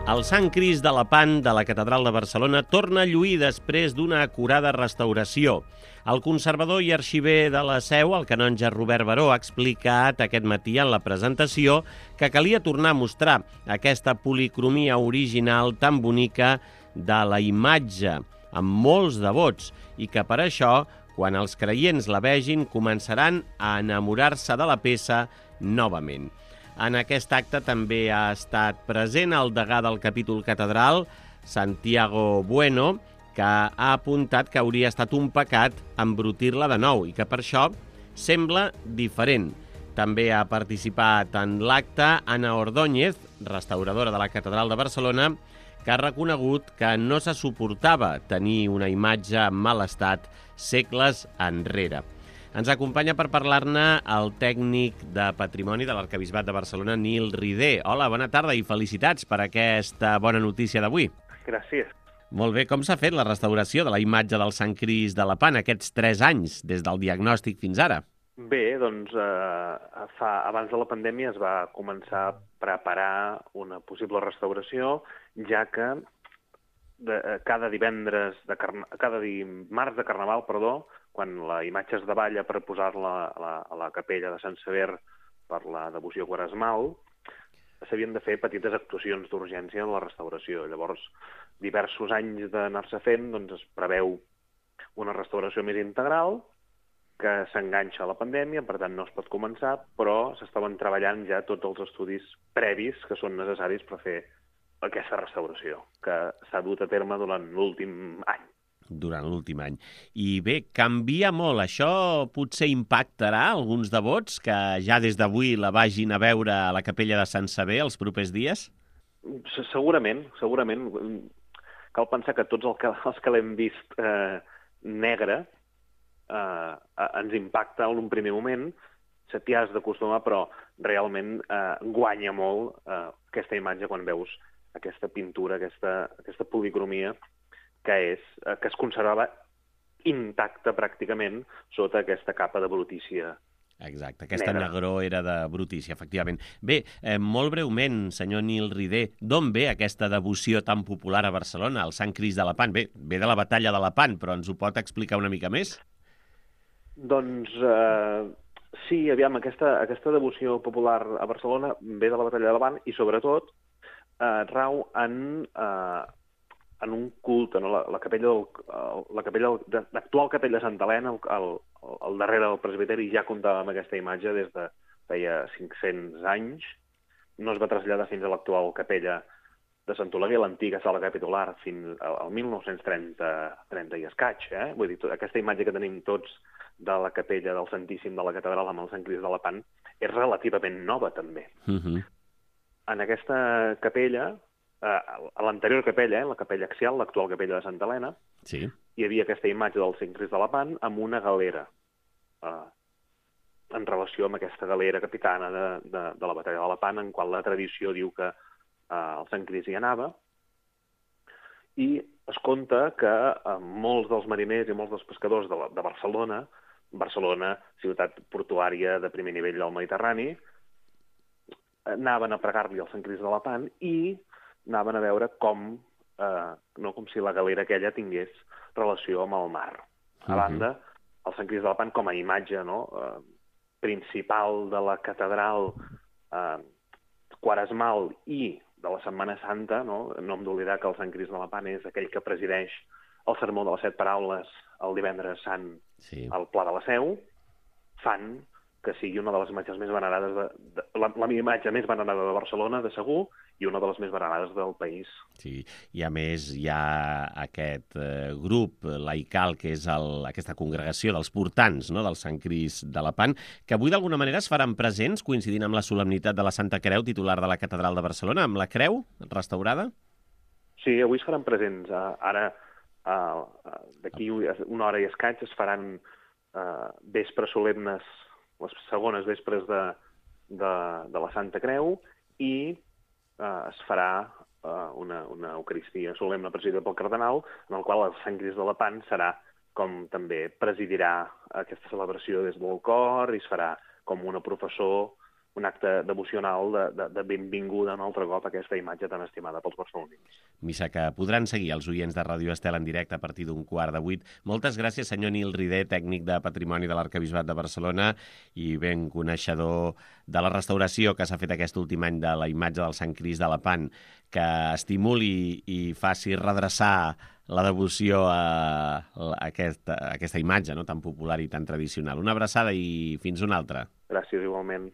El Sant Crist de Lepant de la Catedral de Barcelona torna a lluir després d'una acurada restauració. El conservador i arxiver de la Seu, el canonge Robert Baró, ha explicat aquest matí en la presentació que calia tornar a mostrar aquesta policromia original tan bonica de la imatge, amb molts devots, i que per això, quan els creients la vegin, començaran a enamorar-se de la peça novament. En aquest acte també ha estat present el degà del capítol catedral, Santiago Bueno, que ha apuntat que hauria estat un pecat embrutir-la de nou i que per això sembla diferent. També ha participat en l'acte Ana Ordóñez, restauradora de la Catedral de Barcelona, que ha reconegut que no se suportava tenir una imatge en mal estat segles enrere. Ens acompanya per parlar-ne el tècnic de Patrimoni de l'Arquebisbat de Barcelona, Nil Ridé. Hola, bona tarda i felicitats per aquesta bona notícia d'avui. Gràcies. Molt bé, com s'ha fet la restauració de la imatge del Sant Crist de Lepant aquests 3 anys, des del diagnòstic fins ara? Bé, doncs abans de la pandèmia es va començar a preparar una possible restauració, ja que cada dimarts de Carnaval, quan la imatge es davalla per posar-la a la capella de Sant Sever per la devoció quaresmal, s'havien de fer petites actuacions d'urgència en la restauració. Llavors, diversos anys d'anar-se fent, doncs es preveu una restauració més integral, que s'enganxa a la pandèmia, per tant no es pot començar, però s'estaven treballant ja tots els estudis previs que són necessaris per fer aquesta restauració, que s'ha dut a terme durant l'últim any. Durant l'últim any. I bé, canvia molt. Això potser impactarà alguns devots que ja des d'avui la vagin a veure a la capella de Sant Sever els propers dies? Segurament. Cal pensar que tots els que l'hem vist negre ens impacta en un primer moment, t'hi has d'acostumar, però realment guanya molt aquesta imatge quan veus aquesta pintura, aquesta policromia que es conservava intacta pràcticament sota aquesta capa de brutícia. Exacte, aquesta negror era de brutícia, efectivament. Bé, molt breument, senyor Nil Ridé, d'on ve aquesta devoció tan popular a Barcelona, el Sant Crist de Lepant? Bé, ve de la batalla de Lepant, però ens ho pot explicar una mica més? Doncs sí, aviam, aquesta devoció popular a Barcelona ve de la batalla de Lepant i sobretot rau en un culte, no? L'actual capella de Santa Helena, al darrere del presbiteri, ja comptava amb aquesta imatge des de feia 500 anys. No es va traslladar fins a l'actual capella de Sant Oleguer, l'antiga sala capitular, fins al 1930 i escaig. Vull dir, aquesta imatge que tenim tots de la capella del Santíssim de la Catedral amb el Sant Crist de Lepant és relativament nova, també. En aquesta capella, a l'anterior capella, la capella axial, l'actual capella de Santa Helena, sí, hi havia aquesta imatge del Sant Crist de Lepant amb una galera, en relació amb aquesta galera capitana de la batalla de Lepant, en qual la tradició diu que el Sant Crist hi anava, i es conta que molts dels mariners i molts dels pescadors de Barcelona, ciutat portuària de primer nivell del Mediterrani, anaven a pregar-li al Sant Crist de Lepant i anaven a veure com si la galera aquella tingués relació amb el mar. A banda, el Sant Crist de Lepant com a imatge principal de la catedral quaresmal i de la Setmana Santa, no hem d'oblidar que el Sant Crist de Lepant és aquell que presideix el sermó de les 7 paraules el divendres sant al Pla de la Seu, fan que sigui una de les imatges més venerades, la imatge més venerada de Barcelona, de segur, i una de les més venerades del país. Sí, i a més hi ha aquest grup laical, que és aquesta congregació dels portants, no?, del Sant Crist de Lepant, que avui d'alguna manera es faran presents, coincidint amb la solemnitat de la Santa Creu, titular de la Catedral de Barcelona, amb la creu restaurada? Sí, avui es faran presents. Ara, d'aquí una hora i escaig, es faran vespres solemnes, les segones vespres de la Santa Creu, i es farà una eucaristia solemne presidida pel cardenal, en el qual el Sant Crist de Lepant serà com també presidirà aquesta celebració des del cor i es farà com una professó un acte devocional de benvinguda un altre cop a aquesta imatge tan estimada pels barcelonins. Missa que podran seguir els oients de Ràdio Estel en directe a partir d'un 7:15. Moltes gràcies, senyor Nil Rider, tècnic de Patrimoni de l'Arquebisbat de Barcelona i ben coneixedor de la restauració que s'ha fet aquest últim any de la imatge del Sant Crist de Lepant, que estimuli i faci redreçar la devoció a aquesta imatge, no?, tan popular i tan tradicional. Una abraçada i fins una altra. Gràcies, igualment.